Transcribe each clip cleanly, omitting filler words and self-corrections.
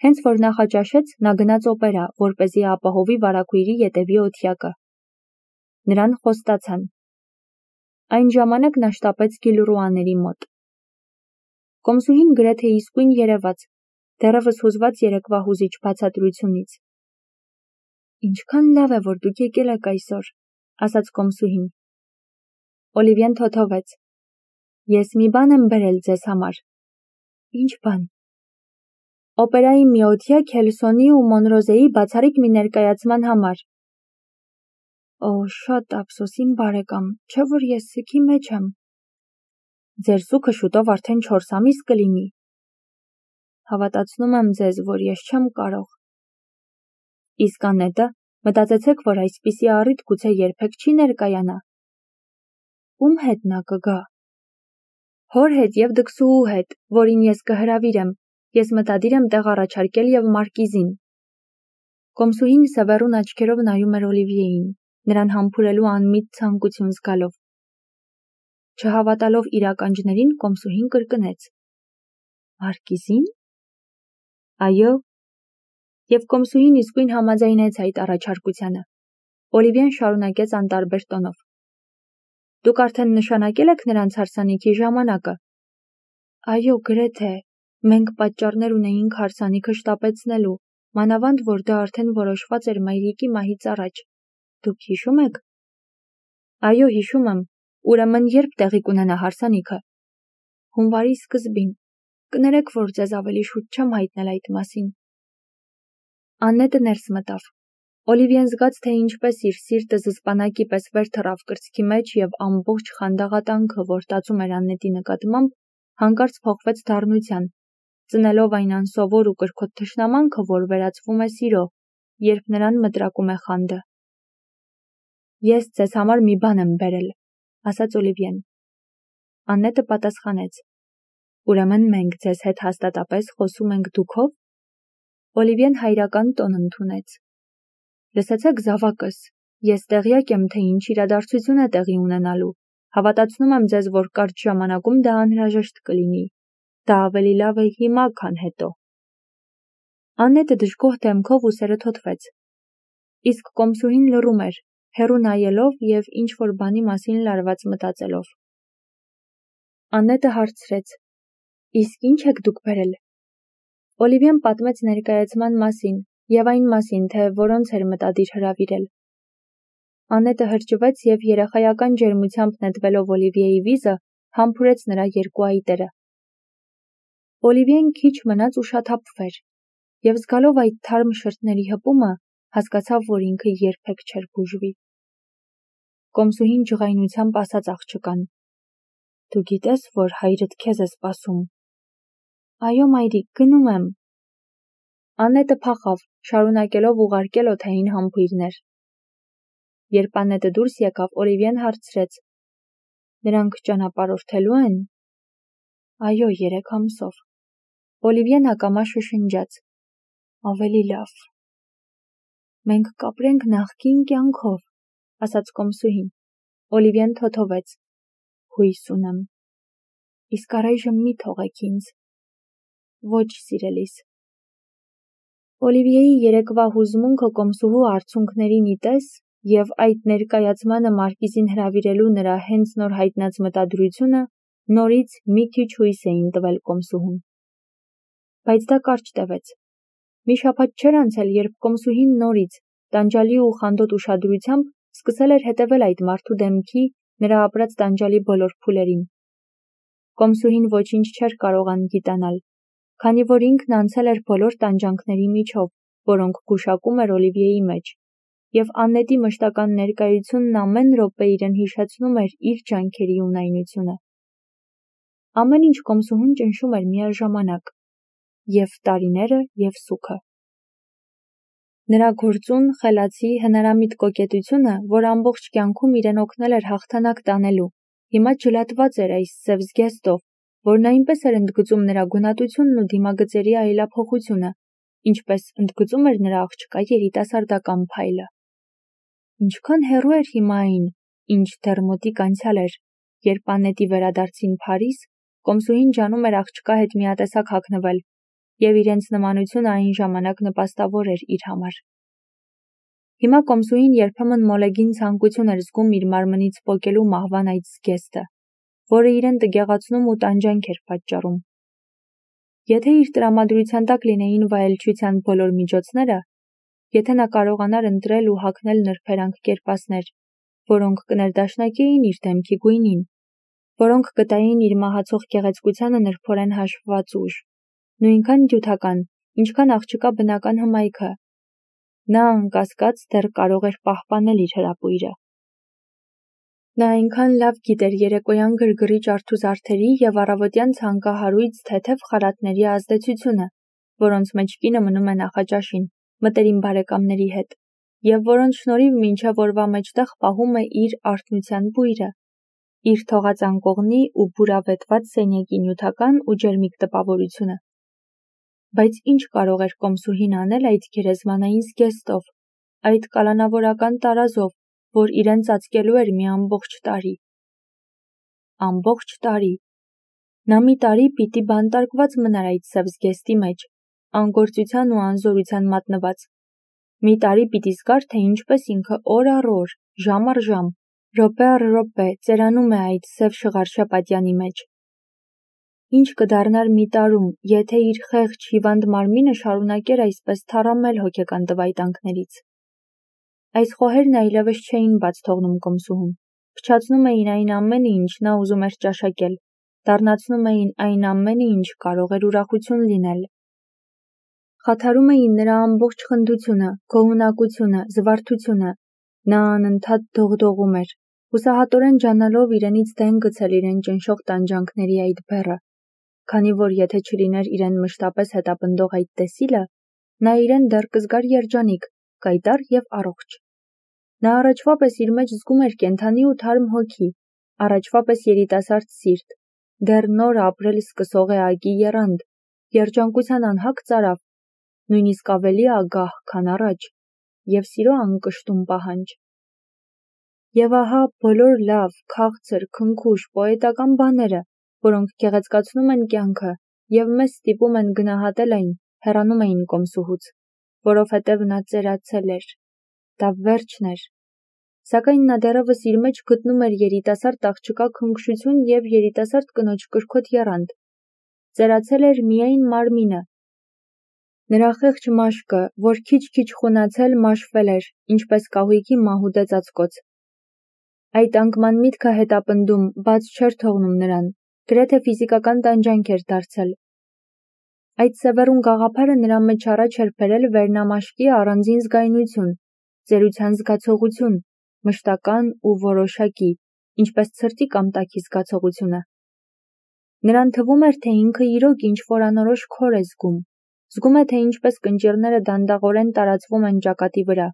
Հենց որ նախաճաշեց, նա գնաց օպերա, որպեսզի ապահովի վարագույրի ետևի օթյակը։ Նրան խոստացան։ Այն ժամանակ նա շտապեց Գիլրուաների մոտ։ Կոմսուհին գրեթե իսկույն երևաց, դեռևս հուզված երեկվա հուզիչ բացատրությունից։ Ինչքան լավ է, որ դուք եկել եք այսօր, ասաց Կոմսուհին։ Օլիվիեն թոթովեց։ Ես մի բան եմ բերել ձեզ համար։ Ինչ բան։ Օպերայի մի օթյակ Հելսոնի ու Մոնրոզեի բացառիկ մի ներկայացման համար։ Օ, շատ ափսոս, իմ բարեկամ, չէ որ ես սգի մեջ եմ։ Ձեր սուքը շուտով արդեն 4 ամիս կլինի։ Հավատացնում եմ ձեզ, որ ես չեմ կարող։ Իսկ Անետը, մտածեցեք, որ այսպիսի առիթ գուցե երբեք չի ներկայանա։ Ում հետ նա կգա։ Հոր հետ և դքսուհու հետ, որին ես կհրավիրեմ, ես մտադիր եմ տեղ առաջարկել և Մարկիզին։ Կոմսուհին սևեռուն աչքերով նայում էր Օլիվիեին, նրան համբուրելու անմիտ ցանկություն զգալով։ Չհավատալով իր ականջներին, Կոմսուհին կրկնեց. Մարկիզին։ Այո։ Եվ Կոմսուհին իսկույն համաձայնեց այդ առաջարկությանը։ Օլիվիեն շարունակեց անտարբեր տոնով. Դուք արդեն նշանակել եք նրանց հարսանիքի ժամանակը։ Այո, գրեթե։ Մենք պատճառներ ունեինք հարսանիքը շտապեցնելու, մանավանդ որ դա արդեն որոշված էր մայրիկի մահից առաջ։ Դուք հիշում եք։ Այո, հիշում եմ։ Ուրեմն երբ տեղի կունենա հարսանիքը։ Հունվարի սկզբին։ Կներեք, որ ձեզ ավելի շուտ չեմ հայտնել այդ մասին։ Աննետը ներս մտավ։ Օլիվիեն զգաց, թե ինչպես իր սիրտը զսպանակի պես վեր թռավ կրծքի մեջ և ամբողջ խանդաղատանքը, որ տածում էր Աննետի նկատմամբ, հանկարծ փոխվեց դառնության, ծնելով այն անսովոր ու կրքոտ թշնամանքը, որ վերածվում է սիրո, երբ նրան մտրակում է խանդը։ Ես ձեզ համար մի բան եմ բերել, ասաց Օլիվիեն։ Աննետը պատասխանեց. Ուրեմն մենք ձեզ հետ հաստատապես խոսում ենք դուքով։ Օլիվիեն հայրական տոն ընդունեց։ Լսեցեք զավակս, ես տեղյակ եմ, թե ինչ իրադարձություն է տեղի ունենալու։ Հավատացնում եմ ձեզ, որ կարճ ժամանակում դա անհրաժեշտ կլինի։ Դա ավելի լավ է հիմա, քան հետո։ Աննետը դժգոհ դեմքով ուսերը թոթվեց։ Իսկ Կոմսուհին լռում էր, հեռու նայելով և ինչ-որ բանի մասին լարված մտածելով։ Աննետը հարցրեց. Իսկ ինչ եք դուք բերել։ Օլիվիեն պատմեց ներկայացման մասին և այն մասին, թե որոնց էր մտադիր հրավիրել։ Աննետը հրճվեց և երեխայական ջերմությամբ նետվելով Օլիվիեի վիզը, համբուրեց նրա երկու այտերը։ Օլիվիեն քիչ մնաց ուշաթափվեր, և զգալով այդ թարմ շրթների հպումը, հասկացավ, որ ինքը երբեք չէր բուժվի։ Կոմսուհին ջղայնությամբ ասաց աղջկան. Դու գիտես, որ հայրդ քեզ է սպասում։ Այո, մայրիկ, գնում եմ։ Աննետը փախավ, շարունակելով ուղարկել օդային համբույրներ։ Երբ Աննետը դուրս եկավ, Օլիվիեն հարցրեց. Նրանք ճանապարհորդելու են։ Այո, 3 ամսով։ Օլիվիեն ակամա շշնջաց. Ավելի լավ։ Մենք կապրենք նախկին կյանքով, ասաց Կոմսուհին։ Օլիվիեն թոթովեց. Հույս ունեմ։ Իսկ առայժմ մի թողեք ինձ։ Ոչ, սիրելիս։ Օլիվիեի երեկվա հուզմունքը Կոմսուհու արցունքներին ի տես և այդ ներկայացմանը Մարկիզին հրավիրելու նրա հենց նոր հայտնած մտադրությունը նորից մի քիչ հույս էին տվել Կոմսուհուն։ Բայց դա կարճ տևեց։ Մի շաբաթ չէր անցել, երբ Կոմսուհին նորից, տանջալի ու խանդոտ ուշադրությամբ սկսել էր հետևել այդ մարդու դեմքի, նրա ապրած տանջալի բոլոր փուլերին։ Կոմսուհին ոչինչ չէր կարող անգիտանալ, քանի որ ինքն անցել էր բոլոր տանջանքների միջով, որոնք գուշակում էր Օլիվիեի մեջ, և Աննետի մշտական ներկայությունն ամեն րոպե իրեն հիշեցնում էր իր ջանքերի ունայնությունը։ Ամեն ինչ Կոմսուհուն ճնշում էր միաժամանակ, և տարիները, և սուքը։ Նրա գործուն, խելացի, հնարամիտ կոկետությունը, որ ամբողջ կյանքում իրեն օգնել էր հաղթանակ տանելու, հիմա ջլատված էր այս սև զգեստով, որն այնպես էր ընդգծում նրա գունատությունն ու դիմագծերի այլափոխությունը, ինչպես ընդգծում էր նրա աղջկա երիտասարդական փայլը։ Ինչքան հեռու էր հիմա այն, ինչ դեռ մոտիկ անցյալ էր, երբ Աննետի վերադարձին Փարիզ, Կոմսուհին ջանում էր աղջկա հետ միատեսակ հագնվել, և իրենց նմանությունը այն ժամանակ նպաստավոր էր իր համար։ Հիմա կոմսուհին երբեմն մոլեգին ցանկություն էր զգում իր մարմնից պոկելու մահվան այդ զգեստը, որը իրեն տգեղացնում ու տանջանք էր պատճառում։ Եթե իր տրամադրության տակ լինեին վայելչության բոլոր միջոցները, եթե նա կարողանար ընտրել ու հագնել նրբերանգ կերպասներ, որոնք կներդաշնակեին իր դեմքի գույնին, որոնք կտային իր մահացող գեղեցկությանը նրբորեն հաշվված ուժ, նույնքան նյութական, ինչքան աղջկա բնական հմայքը, նա անկասկած դեռ կարող էր պահպանել իր հրապույրը։ Նա այնքան լավ գիտեր երեկոյան գրգռիչ արթուզարդերի և առավոտյան ցանկահարույց թեթև խարատների ազդեցությունը, որոնց մեջ կինը մնում է նախաճաշին, մտերիմ բարեկամների հետ, և որոնց շնորհիվ մինչև օրվա մեջտեղ պահում է իր արթնության բույրը, իր թողած անկողնի ու բուրավետված սենյակի նյութական ու ջերմիկ տպավորությունը։ Բայց ինչ կարող էր կոմսուհին անել այդ գերեզմանային զգեստով, այդ կալանավորական տարազով, որ իրեն ծածկելու էր մի ամբողջ տարի։ Ամբողջ տարի։ Նա մի տարի պիտի բանտարկված մնար այդ սև զգեստի մեջ, անգործության ու անզորության մատնված։ Մի տարի պիտի զգար, թե ինչպես ինքը օր առ օր, ժամ առ ժամ, րոպե առ րոպե ծերանում է այդ սև շղարշե պատյանի մեջ։ Ինչ կդառնար մի տարում, եթե իր խեղճ հիվանդ մարմինը շարունակեր այսպես թառամել հոգեկան տվայտանքներից։ Այս խոհերն այլևս չէին բաց թողնում կոմսուհուն, փչացնում էին այն ամենը, ինչ նա ուզում էր ճաշակել, դառնացնում էին այն ամենը, ինչ կարող էր ուրախություն լինել։ Խաթարում էին նրա ամբողջ խնդությունը, գոհունակությունը, զվարթությունը։ Նա անընդհատ դողդողում էր, հուսահատորեն ջանալով իրենից դեն գցել իրեն ճնշող տանջանքների այդ բեռը, քանի որ եթե չլիներ իրեն մշտապես հետապնդող այդ տեսիլը, նա իրեն դեռ կզգար երջանիկ, կայտառ և առողջ։ Նա առաջվա պես իր մեջ զգում էր կենդանի ու թարմ հոգի, առաջվա պես երիտասարդ սիրտ, դեռ նոր ապրել սկսող է այգի եռանդ, երջանկության անհագ ծարավ, նույնիսկ ավելի ագահ, քան առաջ, և սիրո անկշտում պահանջ։ Եվ ահա բոլոր լավ, քաղցր, քնքուշ, պոետական բաները, որոնք գեղեցկացնում են կյանքը և մեզ ստիպում են գնահատել այն, հեռանում էին կոմսուհուց, որովհետև նա ծերացել էր։ Դա վերջն էր։ Սակայն նա դեռևս իր մեջ գտնում էր երիտասարդ աղջկա քնքշություն և երիտասարդ կնոջ կրքոտ եռանդ։ Ծերացել էր միայն մարմինը։ Նրա խեղճ մաշկը, որ քիչ-քիչ խունացել, մաշվել էր, ինչպես կահույքի մահուդե ծածկոց։ Այդ անկման միտքը հետապնդում, բաց չէր թողնում նրան, գրեթե ֆիզիկական տանջանք էր դարձել։ Այդ սևեռուն գաղափարը նրա մեջ առաջ էր բերել վերնամաշկի առանձին զգայունություն, ծերության զգացողություն, մշտական ու որոշակի, ինչպես ցրտի կամ տաքի զգացողությունը։ Նրան թվում էր, թե ինքը իրոք ինչ-որ անորոշ քոր է զգում։ Զգում է, թե ինչպես կնճիռները դանդաղորեն տարածվում են ճակատի վրա,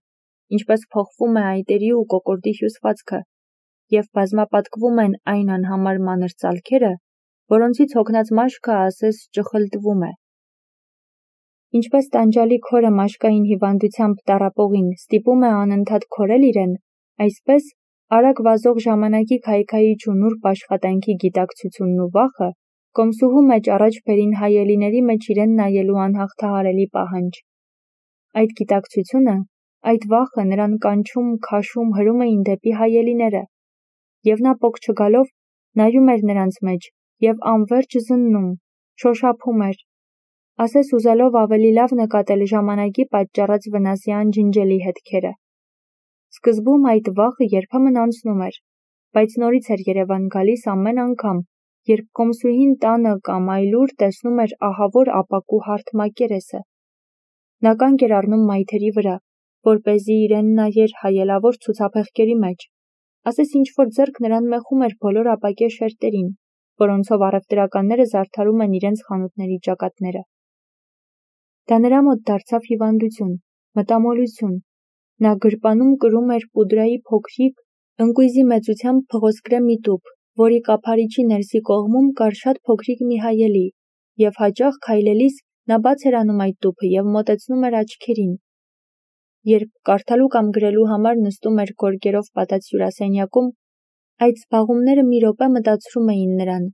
ինչպես փոխվում է այտերի ու կոկորդի հյուսվածքը, և բազմապատկվում են այն անհամար մանր ծալքերը, որոնցից հոգնած մաշկը ասես ճխլտվում է։ Ինչպես տանջալի քորը մաշկային հիվանդությամբ տառապողին ստիպում է անընդհատ քորել իրեն, այսպես արագ վազող ժամանակի քայքայիչ ու նուրբ աշխատանքի գիտակցությունն ու վախը կոմսուհու մեջ առաջ բերին հայելիների մեջ իրեն նայելու անհաղթահարելի պահանջ։ Այդ գիտակցությունը, այդ վախը նրան կանչում, քաշում, հրում էին դեպի հայելիները, և նա պոկ չգալով նայում էր նրանց մեջ և անվերջ զննում, շոշափում էր, ասես ուզելով ավելի լավ նկատել ժամանակի պատճառած վնասի անջնջելի հետքերը։ Սկզբում այդ վախը երբեմն անցնում էր, բայց նորից էր երևան գալիս ամեն անգամ, երբ կոմսուհին տանը կամ այլուր տեսնում էր ահավոր ապակու հարթ մակերեսը։ Նա կանգ էր առնում մայթերի վրա, որպեսզի իրեն նայեր հայելավոր ցուցափեղկերի մեջ, ասես ինչ-որ ձեռք նրան մեխում էր բոլոր ապակե շերտերին, որոնցով առևտրականները զարդարում են իրենց խանութների ճակատները։ Դա նրա մոտ դարձավ հիվանդություն, մտամոլություն։ Նա գրպանում կրում էր պուդրայի փոքրիկ, ընկույզի մեծությամբ փղոսկրե մի տուփ, որի կափարիչի ներսի կողմում կար շատ փոքրիկ մի հայելի, և հաճախ քայլելիս նա բաց էր անում այդ տուփը և մոտեցնում էր աչքերին։ Երբ կարդալու կամ գրելու համար նստում էր գորգերով պատած հյուրասենյակում, այդ զբաղումները մի րոպե մտացրում էին նրան,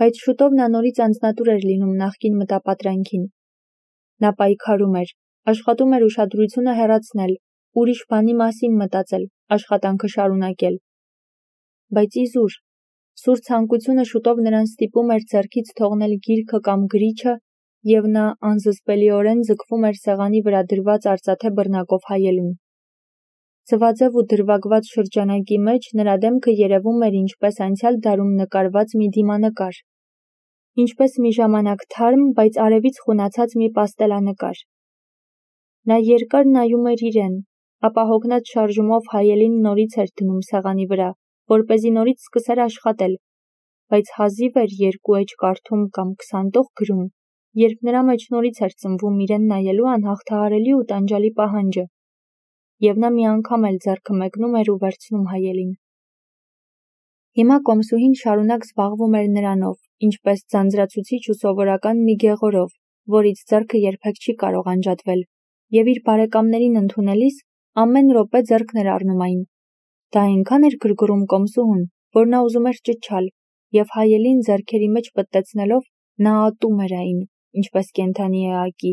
բայց շուտով նա նորից անձնատուր էր լինում նախկին մտապատրանքին, Նա պայքարում էր, աշխատում էր ուշադրությունը հեռացնել, ուրիշ բանի մասին մտածել, աշխատանքը շարունակել։ Բայց իզուր, սուր ցանկությունը շուտով նրան ստիպում էր ձեռքից թողնել գիրքը կամ գրիչը, և նա անզսպելիորեն ձգվում էր սեղանի վրա դրված արծաթե բռնակով հայելուն։ Ձվաձև ու դրվագված շրջանակի մեջ նրա դեմքը երևում էր ինչպես անցյալ դարում նկարված մի դիմանկար, ինչպես մի ժամանակ թարմ, բայց արևից խունացած մի պաստելանկար։ Նա երկար նայում էր իրեն, ապա հոգնած շարժումով հայելին նորից էր դնում սեղանի վրա, որպեսզի նորից սկսեր աշխատել, բայց հազիվ էր 2 էջ կարդում կամ 20 տող գրում, երբ նրա մեջ նորից էր ծնվում իրեն նայելու անհաղթահարելի ու տանջալի պահանջը, և նա մի անգամ էլ ձեռքը մեկնում էր ու վերցնում հայելին։ Հիմա կոմսուհին շարունակ զբաղվում էր նրանով, ինչպես ձանձրացուցիչ ու սովորական մի գեղորով, որից ձեռքը երբեք չի կարող անջատվել, և իր բարեկամներին ընդունելիս ամեն րոպե ձեռքն էր առնում այն։ Դա այնքան էր գրգռում կոմսուհուն, որ նա ուզում էր ճչալ, և հայելին ձեռքերի մեջ պտտեցնելով նա ատում էր այն, ինչպես կենդանի էակի։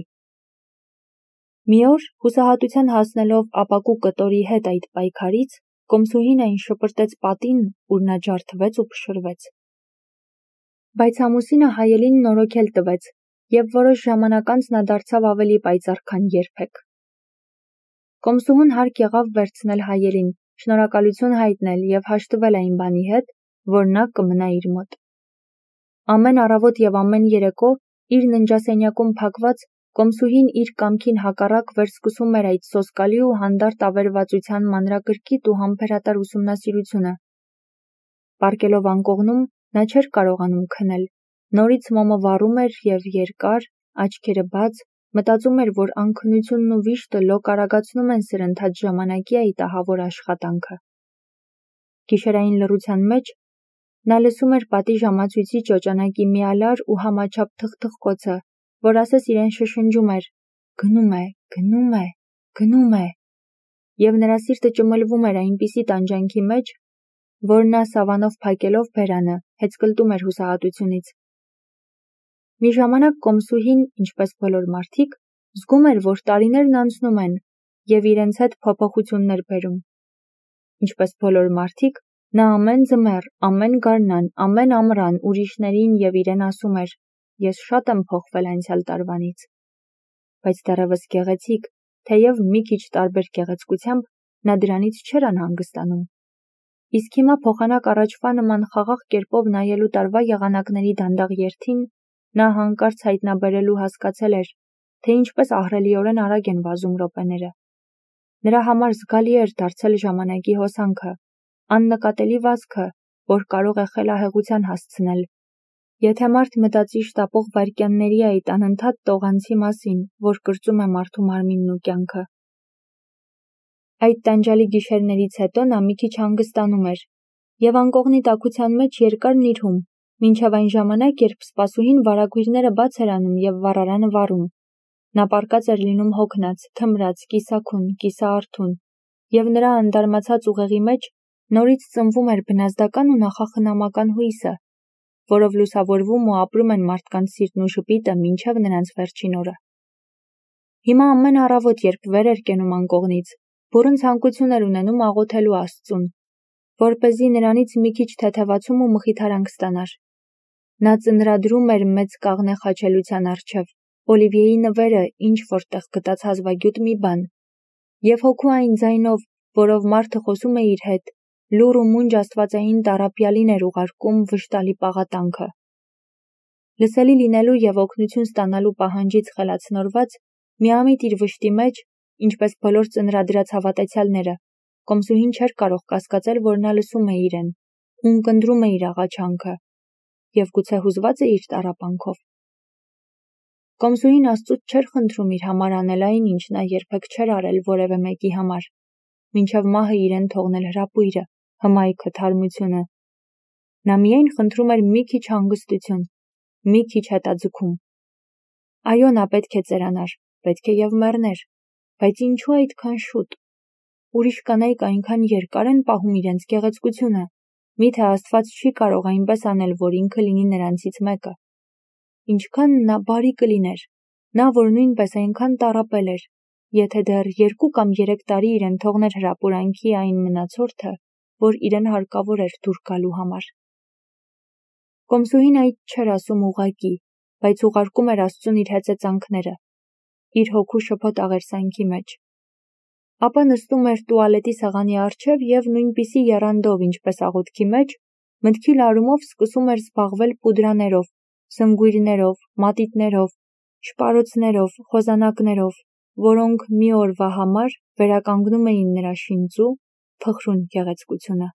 Մի օր, հուսահատության հասնելով ապակու կտորի հետ այդ պայքարից, կոմսուհին այն շպրտեց պատին, ուր նա ջարդվեց ու փշրվեց։ Բայց ամուսինը հայելին նորոգել տվեց, և որոշ ժամանակ անց նա դարձավ ավելի պայծառ, քան երբեք։ Կոմսուհուն հարկ եղավ վերցնել հայելին, շնորհակալություն հայտնել և հաշտվել այն բանի հետ, որ նա կմնա իր մոտ։ Ամեն առավոտ և ամեն երեկո, իր ննջասենյակում փակված, կոմսուհին իր կամքին հակառակ վերսկսում էր այդ սոսկալի ու հանդարտ ավերածության մանրակրկիտ ու համբերատար ուսումնասիրությունը։ Պառկելով անկողնում, նա չէր կարողանում քնել, նորից մոմը վառում էր և երկար, աչքերը բաց, մտածում էր, որ անքնությունն ու վիշտը լոկ արագացնում են սրընթաց ժամանակի այդ ահավոր աշխատանքը։ Գիշերային լռության մեջ նա լսում էր պատի ժամացույցի ճոճանակի միալար ու համաչափ թխթխկոցը, որ ասես իրեն շշնջում էր. «Գնում է, գնում է, գնում է», և նրա սիրտը ճմլվում էր այնպիսի տանջանքի մեջ, որ նա սավանով փակելով բերանը, հեծկլտում էր հուսահատությունից։ Մի ժամանակ կոմսուհին, ինչպես բոլոր մարդիկ, զգում էր, որ տարիներն անցնում են և իրենց հետ փոփոխություններ բերում։ Ինչպես բոլոր մարդիկ, նա ամեն ձմեռ, ամեն գարնան, ամեն ամռան ուրիշներին և իրեն ասում էր. «Ես շատ եմ փոխվել անցյալ տարվանից»։ Բայց դեռևս գեղեցիկ, թեև մի քիչ տարբեր գեղեցկությամբ, նա դրանից չէր անհանգստանում։ Իսկ հիմա փոխանակ առաջվա նման խաղաղ կերպով նայելու տարվա եղանակների դանդաղ երթին, նա հանկարծ հայտնաբերելու հասկացել էր, թե ինչպես ահռելիորեն արագ են վազում րոպեները։ Նրա համար զգալի էր դարձել ժամանակի հոսանքը, աննկատելի վազքը, որ կարող է խելահեղության հասցնել, եթե մարդ մտածի շտապող վայրկյանների այդ անընդհատ տողանցի մասին, որ կրծում է մարդու մարմինն ու կյանքը։ Այդ տանջալի գիշերներից հետո նա մի քիչ հանգստանում էր և անկողնի տաքության մեջ երկար նիրհում, մինչև այն ժամանակ, երբ սպասուհին վարագույրները բաց էր անում և վառարանը վառում։ Նա պառկած էր լինում հոգնած, թմրած, կիսաքուն, կիսաարթուն, և նրա անդարմացած ուղեղի մեջ նորից ծնվում էր բնազդական ու նախախնամական հույսը, որով լուսավորվում ու ապրում են մարդկանց սիրտն ու ժպիտը մինչև նրանց վերջին օրը։ Հիմա ամեն առավոտ, երբ վեր էր կենում անկողնից, բուռն ցանկություն էր ունենում աղոթելու Աստծուն, որպեսզի նրանից մի քիչ թեթևացում ու մխիթարանք ստանար։ Նա ծնրադրում էր մեծ կաղնե խաչելության առջև, Օլիվիեի նվերը ինչ որտեղ գտած հազվագյուտ մի բան, և հոգու այն ձայնով, որով մարդը խոսում է իր հետ, լուռ ու մունջ աստվածային տառապյալին էր ուղարկում վշտալի պաղատանքը։ Լսելի լինելու և օգնություն ստանալու պահանջից խելացնորված, միամիտ իր վշտի մեջ, ինչպես բոլոր ծնրադրած հավատացյալները, կոմսուհին չէր կարող կասկածել, որ նա լսում է իրեն, ունկնդրում է իր աղաչանքը և գուցե հուզված է իր տառապանքով։ Կոմսուհին Աստծուց չէր խնդրում իր համար անել այն, ինչ նա երբեք չէր արել որևէ մեկի համար, մինչև մահը իրեն թողնել հրապույրը, հմայքը, թարմությունը։ Նա միայն խնդրում էր մի քիչ հանգստություն, մի քիչ հետաձգում։ Այո, նա պետք է ծերանար, պետք է և մեռներ, բայց ինչու այդքան շուտ։ Ուրիշ կանայք այնքան երկար են պահում իրենց գեղեցկությունը, միթե Աստված չի կարող այնպես անել, որ ինքը լինի նրանցից մեկը։ Ինչքան նա բարի կլիներ, Նա, որ նույնպես այնքան տառապել էր, եթե դեռ 2 կամ 3 տարի իրեն թողներ հրապուրանքի այն մնացորդը, որ իրեն հարկավոր էր դուր գալու համար։ Կոմսուհին այդ չէր ասում ուղղակի, բայց ուղարկում էր Աստծուն իր հեծեծանքները, իր հոգու շփոթ աղերսանքի մեջ։ Ապա նստում էր տուալետի սեղանի առջև և նույնպիսի եռանդով, ինչպես աղոթքի մեջ, մտքի լարումով սկսում էր զբաղվել պուդրաներով, սնգույրներով, մատիտներով, շպարոցներով, խոզանակներով, որոնք մի օրվա համար վերականգնում էին նրա շինծու, փխրուն գեղեցկությունը։